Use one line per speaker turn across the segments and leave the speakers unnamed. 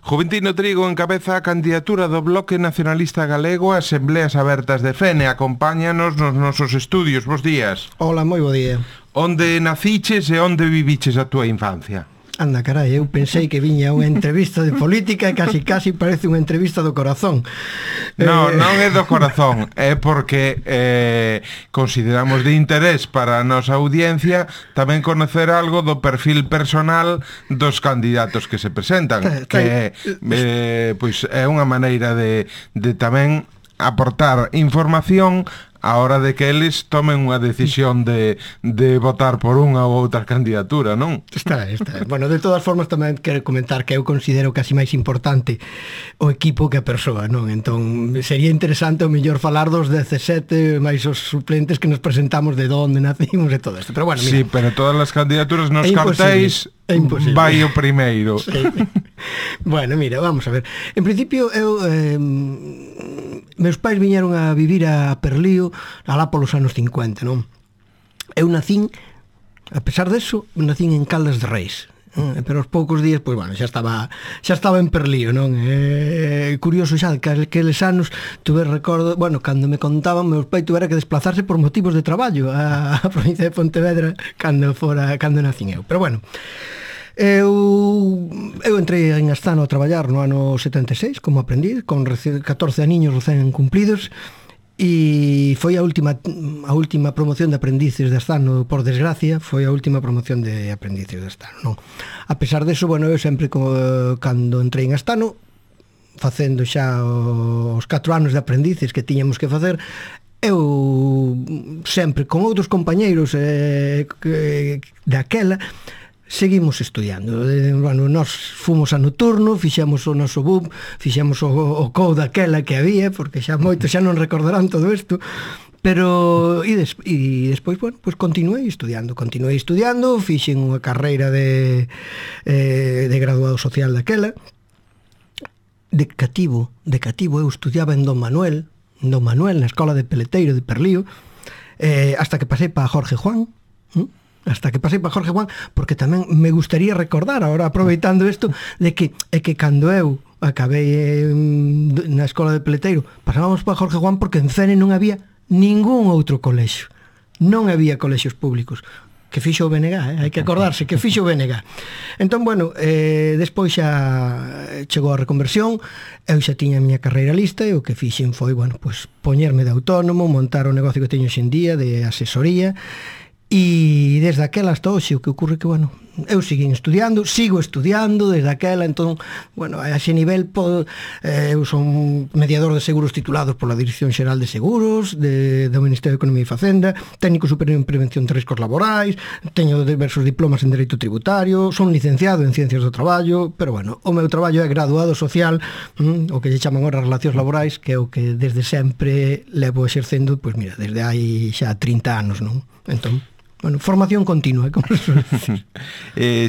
Juventino Trigo encabeza a candidatura do Bloque Nacionalista Galego a Asembleas Abertas de Fene. Acompáñanos nos nosos estudios. Bos días.
Hola, moi bo día.
Onde naciches e onde viviches a túa infancia?
Anda, carai, eu pensei que viña unha entrevista de política e casi parece unha entrevista do corazón.
Non é do corazón, é porque consideramos de interés para a nosa audiencia tamén conocer algo do perfil personal dos candidatos que se presentan, que pois é unha maneira de tamén aportar información a hora de que eles tomen unha decisión de votar por unha ou outra candidatura, non?
Está. Bueno, de todas formas tamén quero comentar que eu considero casi máis importante o equipo que a persoa, non? Entón, sería interesante o mellor falar dos 17 máis os suplentes que nos presentamos de onde nacimos e todo isto. Pero bueno, mira.
Sí, pero todas as candidaturas nos cartéis vai o primeiro.
Sí. Bueno, mira, vamos a ver. En principio, eu meus pais viñeron a vivir a Perlío alá polos anos 50, non? Eu nacín, a pesar deso, nacín en Caldas de Reis, pero aos poucos días, pois, bueno, xa estaba en Perlío, non? Curioso xa que aqueles anos tuve recordo, bueno, cando me contaban, meus pais tuvera que desplazarse por motivos de traballo a provincia de Pontevedra cando nacín eu. Pero bueno, eu entrei en Astano a traballar no ano 76 como aprendiz, con 14 aniños recén cumplidos, e foi a última promoción de aprendices de Astano, por desgracia, foi a última promoción de aprendices de Astano, non? A pesar deso, bueno, eu sempre cando entrei en Astano, facendo xa os 4 anos de aprendices que tiñamos que facer, eu sempre con outros compañeiros daquela seguimos estudiando. Bueno, nós fomos a noturno, fixemos o noso BUP, fixemos o COU daquela que había, porque xa moitos xa non recordarán todo isto, pero e despois, bueno, pues continuei estudiando, fixen unha carreira de graduado social daquela. De cativo eu estudiaba en Don Manuel, na escola de Peleteiro de Perlío, hasta que pasei para Jorge Juan, porque tamén me gustaría recordar, ahora aproveitando isto, de que cando eu acabei na escola de Peleteiro, pasábamos para Jorge Juan porque en Fene non había ningún outro colexio, non había colexios públicos, que fixo o BNG, hai que acordarse que fixo o BNG. Entón, bueno, despois xa chegou a reconversión, eu xa tiña a miña carreira lista, e o que fixen foi, bueno, pues poñerme de autónomo, montar o negocio que teño xendía de asesoría. E desde aquela hasta hoxe o que ocorre que, bueno, eu sigo estudiando desde aquela, entón, bueno, a ese nivel eu son mediador de seguros titulados pola Dirección Xeral de Seguros do Ministerio de Economía e Facenda, técnico superior en prevención de riscos laborais, teño diversos diplomas en Dereito Tributario, son licenciado en Ciencias do Traballo, pero, bueno, o meu traballo é graduado social, o que lle chaman ahora relacións laborais, que é o que desde sempre levo exercendo, pois mira, desde hai xa 30 anos, non? Entón, bueno, formación continua, como se suele decir.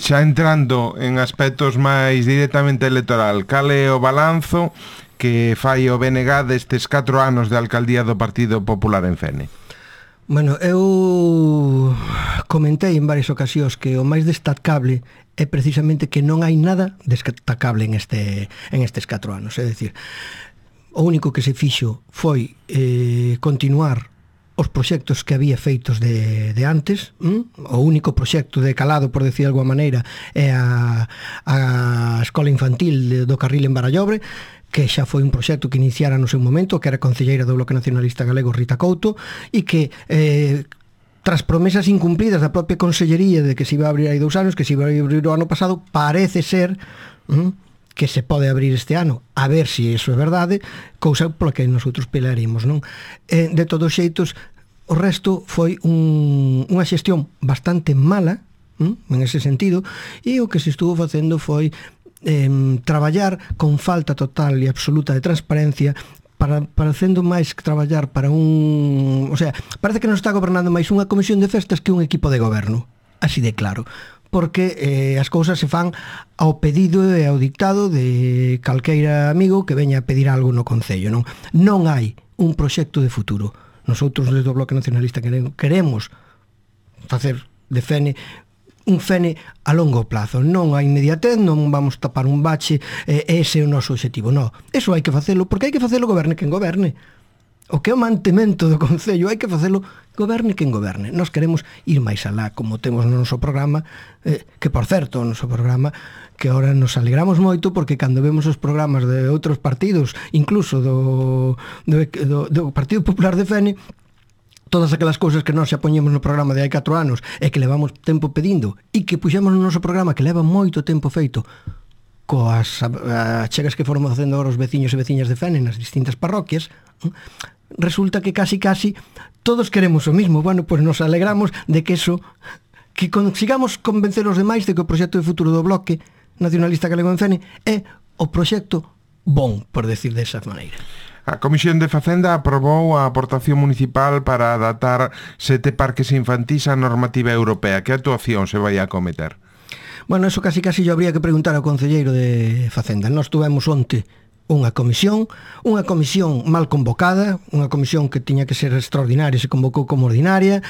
Xa entrando en aspectos máis directamente electoral, cal é o balanzo que fai o BNG destes 4 anos de alcaldía do Partido Popular en Fene?
Bueno, eu comentei en varias ocasións que o máis destacable é precisamente que non hai nada destacable en estes 4 anos. É dicir, o único que se fixo foi continuar os proxectos que había feitos de antes. O único proxecto de calado, por decir de alguma maneira, é a escola infantil do Carril en Barallobre, que xa foi un proxecto que iniciara no seu momento, que era concelleira do Bloque Nacionalista Galego Rita Couto, e que tras promesas incumplidas da propia consellería de que se iba a abrir hai 2 anos, que se iba a abrir o ano pasado, parece ser que se pode abrir este ano, a ver se iso é verdade, cousa pola que nosotros pelaremos, non? De todos xeitos, o resto foi unha xestión bastante mala, en ese sentido, e o que se estuvo facendo foi traballar con falta total e absoluta de transparencia, parecendo máis que traballar para o sea, parece que non está gobernando máis unha comisión de festas que un equipo de goberno, así de claro, porque as cousas se fan ao pedido e ao dictado de calqueira amigo que veña a pedir algo no Concello, non? Non hai un proxecto de futuro. Nosotros desde o Bloque Nacionalista queremos facer de Fene un Fene a longo plazo, non a inmediatez, non vamos tapar un bache, ese é o noso objetivo, non. Eso hai que facelo, porque hai que facelo goberne quen goberne. O que é o mantemento do Concello hai que facelo goberne quen goberne. Nós queremos ir máis alá, como temos no noso programa, que por certo, o noso programa, que ahora nos alegramos moito porque cando vemos os programas de outros partidos, incluso do Partido Popular de Fene, todas aquelas cousas que nós xa poñemos no programa de hai 4 anos e que levamos tempo pedindo e que puxemos no noso programa que leva moito tempo feito coas achegas que foron facendo agora os veciños e veciñas de Fene nas distintas parroquias, resulta que casi todos queremos o mismo. Bueno, pois nos alegramos de que eso, que consigamos convencer os demais de que o proxecto de futuro do Bloque Nacionalista Galego en Fene é o proxecto bon, por decir desa maneira.
A Comisión de Facenda aprobou a aportación municipal para adaptar 7 parques infantís á normativa europea. Que actuación se vai a cometer?
Bueno, eso casi yo habría que preguntar ao concelleiro de Facenda. Nós tuvemos onte unha comisión mal convocada, unha comisión que tiña que ser extraordinaria, se convocou como ordinaria,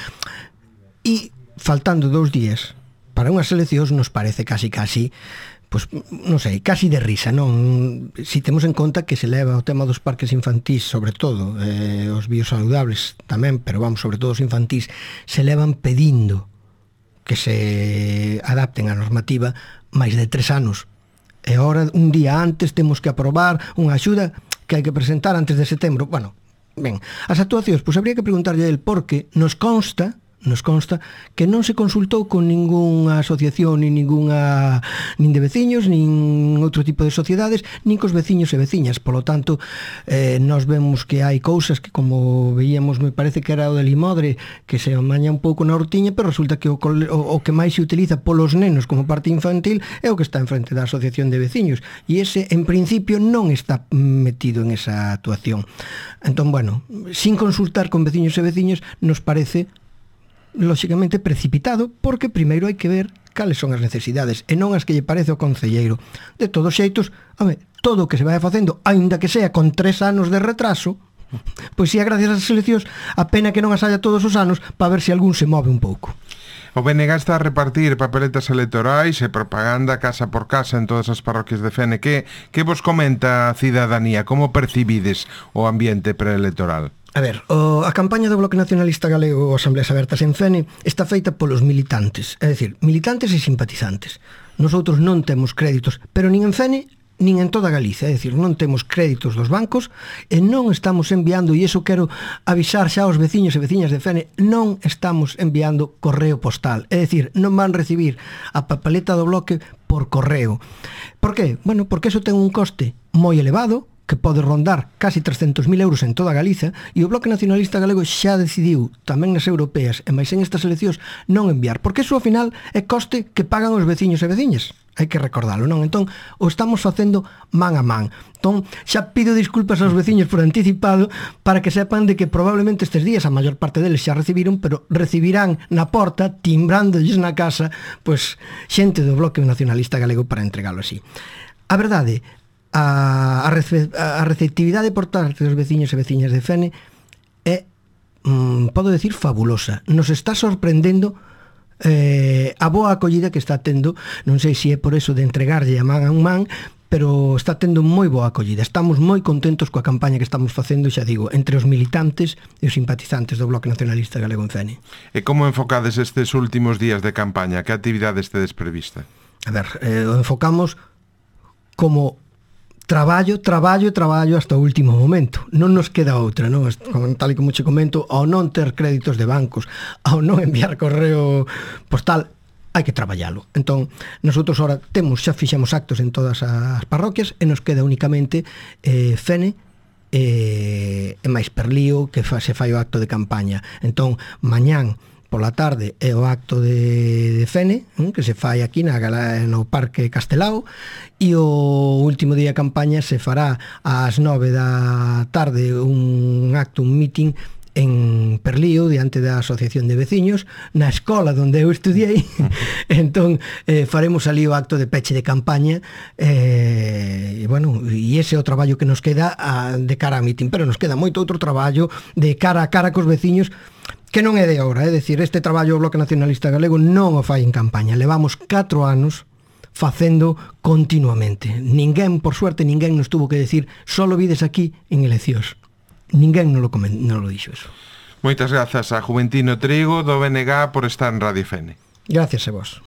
e faltando 2 días para unhas eleccións nos parece casi pois, non sei, casi de risa, non? Si temos en conta que se leva o tema dos parques infantís, sobre todo, os biosaludables tamén, pero vamos, sobre todo os infantís, se levan pedindo que se adapten á normativa máis de 3 anos. E agora, un día antes, temos que aprobar unha axuda que hai que presentar antes de setembro. Bueno, ben, as actuacións, pois habría que preguntarlle a él, porque nos consta que non se consultou con ningunha asociación, nin de veciños, nin outro tipo de sociedades, nin cos veciños e veciñas. Polo tanto, nós vemos que hai cousas que, como veíamos, me parece que era o de Limodre, que se amaña un pouco na hortiña, pero resulta que o que máis se utiliza polos nenos como parte infantil é o que está en frente da asociación de veciños, e ese, en principio, non está metido en esa actuación. Entón, bueno, sin consultar con veciños e veciñas, nos parece lóxicamente precipitado, porque primeiro hai que ver cales son as necesidades e non as que lle parece ao concelleiro. De todos xeitos, todo o que se vai facendo, aínda que sea con 3 anos de retraso, pois si é gracias ás eleccións, a pena que non as haya todos os anos para ver se algún se move un pouco.
O BNG está a repartir papeletas electorais e propaganda casa por casa en todas as parroquias de Fene. Que vos comenta a cidadanía? Como percibides o ambiente preelectoral?
A ver, a campaña do Bloque Nacionalista Galego Asambleas Abertas en Fene está feita polos militantes, é dicir, militantes e simpatizantes. Nosotros non temos créditos, pero nin en Fene nin en toda Galicia, é dicir, non temos créditos dos bancos e non estamos enviando, e iso quero avisar xa aos veciños e veciñas de Fene, non estamos enviando correo postal, é dicir, non van recibir a papeleta do Bloque por correo. Por qué? Bueno, porque eso ten un coste moi elevado, que pode rondar casi 300.000 euros en toda Galiza, e o Bloque Nacionalista Galego xa decidiu, tamén nas europeas e máis en estas eleccións, non enviar, porque iso ao final é coste que pagan os veciños e veciñas. Hai que recordalo, non? Entón, o estamos facendo man a man. Entón, xa pido disculpas aos veciños por anticipado para que sepan de que probablemente estes días a maior parte deles xa recibiron, pero recibirán na porta, timbrándoles na casa, pois, xente do Bloque Nacionalista Galego para entregalo así. A verdade, a receptividade por parte dos veciños e veciñas de Fene é, podo decir, fabulosa. Nos está sorprendendo a boa acollida que está tendo. Non sei se é por eso de entregarlle a man a un man, pero está tendo moi boa acollida. Estamos moi contentos coa campaña que estamos facendo, xa digo, entre os militantes e os simpatizantes do Bloque Nacionalista Galego en Fene.
E como enfocades estes últimos días de campaña? Que actividades tedes prevista?
A ver, o enfocamos como traballo hasta o último momento. Non nos queda outra, non? Tal e como che comento, ao non ter créditos de bancos, ao non enviar correo postal, hai que traballalo. Entón, nosotros ahora xa fixemos actos en todas as parroquias e nos queda únicamente Fene e máis Perlío, que se fai o acto de campaña. Entón, mañán pola tarde é o acto de Fene, que se fai aquí no Parque Castelao, e o último día de campaña se fará ás 9 da tarde un meeting en Perlío, diante da Asociación de Veciños, na escola onde eu estudiei. Entón, faremos ali o acto de peche de campaña, e ese é o traballo que nos queda de cara a meeting, pero nos queda moito outro traballo de cara a cara cos veciños, que non é de ahora, é dicir, este traballo do Bloque Nacionalista Galego non o fai en campaña, levamos 4 anos facendo continuamente. Ninguén, por suerte, ninguén nos tuvo que decir só lo vides aquí en eleccións. Ninguén non lo dixo eso.
Moitas grazas a Juventino Trigo do BNG por estar en Radio Fene.
Gracias a vos.